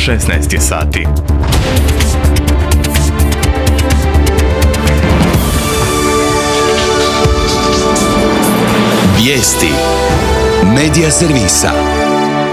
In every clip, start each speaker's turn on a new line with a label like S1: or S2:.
S1: 16 je sati.
S2: Vijesti Medija servisa.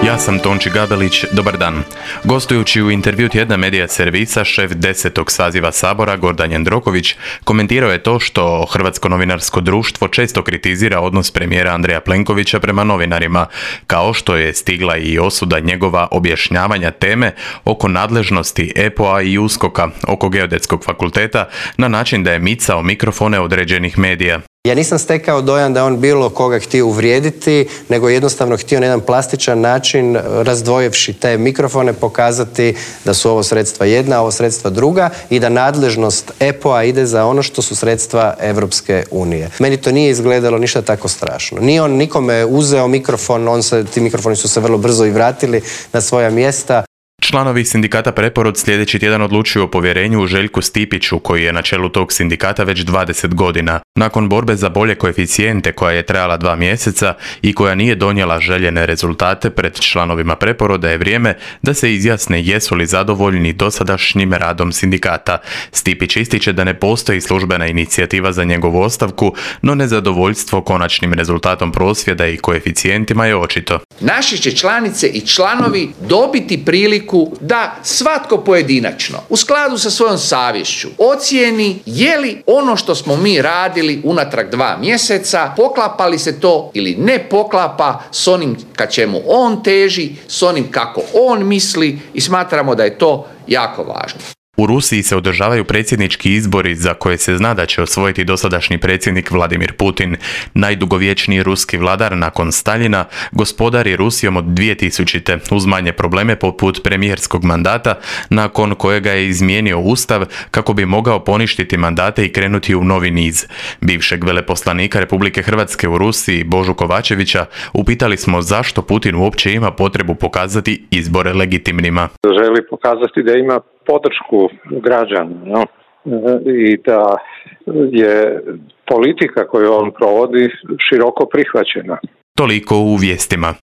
S1: Ja sam Tonči Gabelić, dobar dan. Gostujući u intervju tjedna Medija servisa, šef 10. saziva Sabora Gordan Jandroković komentirao je to što Hrvatsko novinarsko društvo često kritizira odnos premijera Andreja Plenkovića prema novinarima, kao što je stigla i osuda njegova objašnjavanja teme oko nadležnosti EPO-a i USKOK-a oko Geodetskog fakulteta na način da je micao mikrofone određenih medija.
S3: Ja nisam stekao dojam da on bilo koga htio uvrijediti, nego jednostavno htio na jedan plastičan način, razdvojevši te mikrofone, pokazati da su ovo sredstva jedna, a ovo sredstva druga i da nadležnost EPO-a ide za ono što su sredstva Evropske unije. Meni to nije izgledalo ništa tako strašno. Nije on nikome uzeo mikrofon, ti mikrofoni su se vrlo brzo i vratili na svoja mjesta.
S1: Članovi sindikata Preporod sljedeći tjedan odlučuju o povjerenju Željku Stipiću, koji je na čelu tog sindikata već 20 godina. Nakon borbe za bolje koeficijente koja je trajala 2 mjeseca i koja nije donijela željene rezultate pred članovima Preporoda, je vrijeme da se izjasne jesu li zadovoljni dosadašnjim radom sindikata. Stipić ističe da ne postoji službena inicijativa za njegovu ostavku, no nezadovoljstvo konačnim rezultatom prosvjeda i koeficijentima je očito.
S4: Naše će članice i članovi dobiti priliku da svatko pojedinačno, u skladu sa svojom savješću, ocijeni je li ono što smo mi radili unatrag 2 mjeseca, poklapa li se to ili ne poklapa s onim ka čemu on teži, s onim kako on misli, i smatramo da je to jako važno.
S1: U Rusiji se održavaju predsjednički izbori za koje se zna da će osvojiti dosadašnji predsjednik Vladimir Putin. Najdugovječniji ruski vladar nakon Staljina gospodari Rusijom od 2000. uz manje probleme poput premijerskog mandata, nakon kojega je izmijenio ustav kako bi mogao poništiti mandate i krenuti u novi niz. Bivšeg veleposlanika Republike Hrvatske u Rusiji Božu Kovačevića upitali smo zašto Putin uopće ima potrebu pokazati izbore legitimnima.
S5: Želi pokazati da ima podršku građana, no? I da je politika koju on provodi široko prihvaćena.
S1: Toliko u vijestima.